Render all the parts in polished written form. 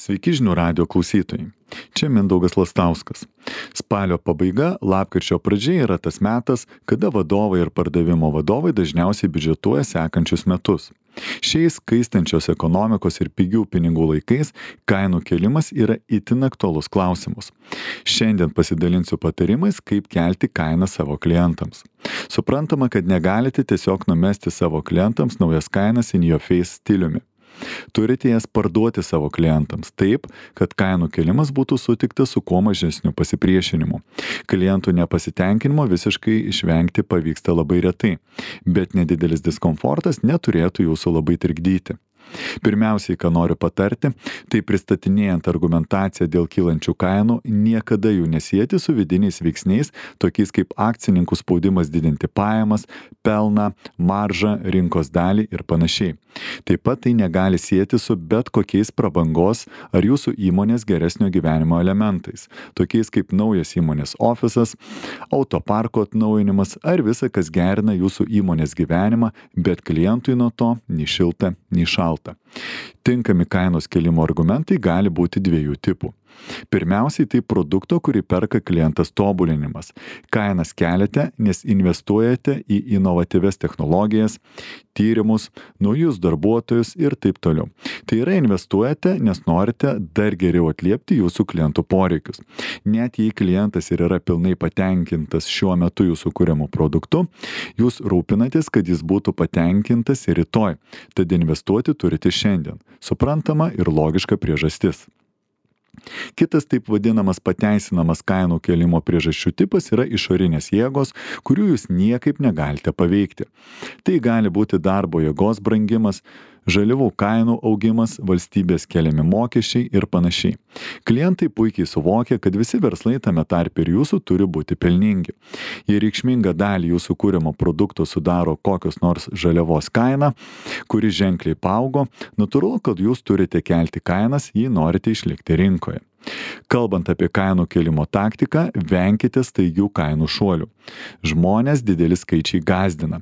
Sveiki žinių radio klausytojai. Čia Mindaugas Lastauskas. Spalio pabaiga, lapkričio pradžia yra tas metas, kada vadovai ir pardavimo vadovai dažniausiai biudžetuoja sekančius metus. Šiais kaistančios ekonomikos ir pigių pinigų laikais kainų kėlimas yra itin aktualus klausimas. Šiandien pasidalinsiu patarimais, kaip kelti kainą savo klientams. Suprantama, kad negalite tiesiog numesti savo klientams naujas kainas in your face stiliumi. Turite jas parduoti savo klientams taip, kad kainų kėlimas būtų sutiktas su kuo mažesniu pasipriešinimu. Klientų nepasitenkinimo visiškai išvengti pavyksta labai retai, bet nedidelis diskomfortas neturėtų jūsų labai trikdyti. Pirmiausiai, ką noriu patarti, tai pristatinėjant argumentaciją dėl kylančių kainų, niekada jų nesieti su vidiniais veiksniais, tokiais kaip akcininkų spaudimas didinti pajamas, pelną, maržą, rinkos dalį ir panašiai. Taip pat tai negali sieti su bet kokiais prabangos ar jūsų įmonės geresnio gyvenimo elementais, tokiais kaip naujas įmonės ofisas, autoparko atnaujinimas ar visa, kas gerina jūsų įmonės gyvenimą, bet klientui nuo to nei šilta, nei šalta. Tinkami kainos kėlimo argumentai gali būti dviejų tipų. Pirmiausiai tai produkto, kurį perka klientas tobulinimas. Kainas keliate, nes investuojate į inovatyvias technologijas, tyrimus, naujus darbuotojus ir taip toliau. Tai yra investuojate, nes norite dar geriau atliepti jūsų klientų poreikius. Net jei klientas ir yra pilnai patenkintas šiuo metu jūsų kuriamu produktu, jūs rūpinatės, kad jis būtų patenkintas ir rytoj. Tad investuoti turite šiandien. Suprantama ir logiška priežastis. Kitas taip vadinamas pateisinamas kainų kėlimo priežasčių tipas yra išorinės jėgos, kurių jūs niekaip negalite paveikti. Tai gali būti darbo jėgos brangimas, žaliavų kainų augimas, valstybės keliami mokesčiai ir panašiai. Klientai puikiai suvokia, kad visi verslai tame tarpe ir jūsų turi būti pelningi. Jei reikšmingą dalį jūsų kūrimo produkto sudaro kokios nors žaliavos kaina, kuri ženkliai paaugo, natūralu, kad jūs turite kelti kainas, jei norite išlikti rinkoje. Kalbant apie kainų kėlimo taktiką, venkite staigių kainų šuolių. Žmonės dideli skaičiai gąsdina.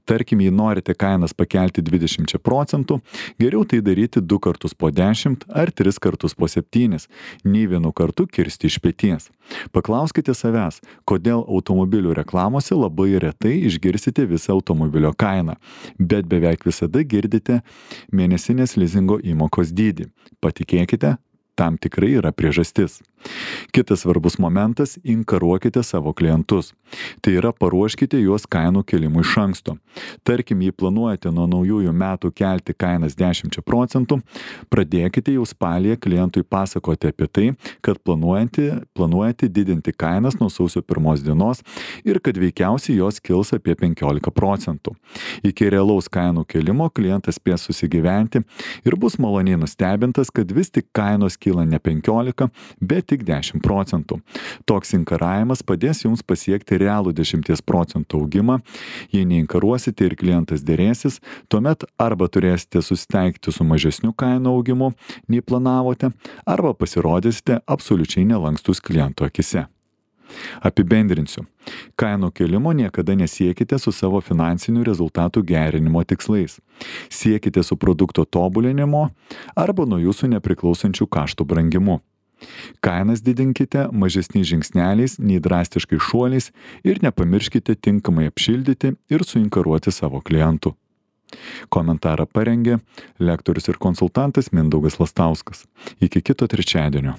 Tarkim, jei norite kainas pakelti 20%, geriau tai daryti 2 kartus po 10 ar 3 kartus po 7, nei vienu kartu kirsti iš peties. Paklauskite savęs, kodėl automobilių reklamose labai retai išgirsite visą automobilio kainą, bet beveik visada girdite mėnesinės lizingo įmokos dydį. Patikėkite, tam tikrai yra priežastis. Kitas svarbus momentas – inkaruokite savo klientus. Tai yra paruoškite juos kainų kėlimui iš anksto. Tarkim, jei planuojate nuo naujųjų metų kelti kainas 10%, pradėkite jau spalį klientui pasakoti apie tai, kad planuojate didinti kainas nuo sausio 1 dienos ir kad veikiausiai jos kils apie 15%. Iki realaus kainų kėlimo klientas spės susigyventi ir bus maloniai nustebintas, kad vis tik kainos kyla ne 15, bet tik 10%. Toks inkaravimas padės jums pasiekti realų 10% augimą. Jei neinkaruosite ir klientas dėrėsis, tuomet arba turėsite susitaikyti su mažesniu kainų augimu, nei planavote, arba pasirodysite absoliučiai nelankstus kliento akise. Apibendrinsiu. Kainų kėlimo niekada nesiekite su savo finansinių rezultatų gerinimo tikslais. Siekite su produkto tobulinimo arba nuo jūsų nepriklausančių kaštų brangimu. Kainas didinkite mažesniais žingsneliais nei drastiškai šuoliais ir nepamirškite tinkamai apšildyti ir suinkaruoti savo klientų. Komentarą parengė lektorius ir konsultantas Mindaugas Lastauskas. Iki kito trečiadienio.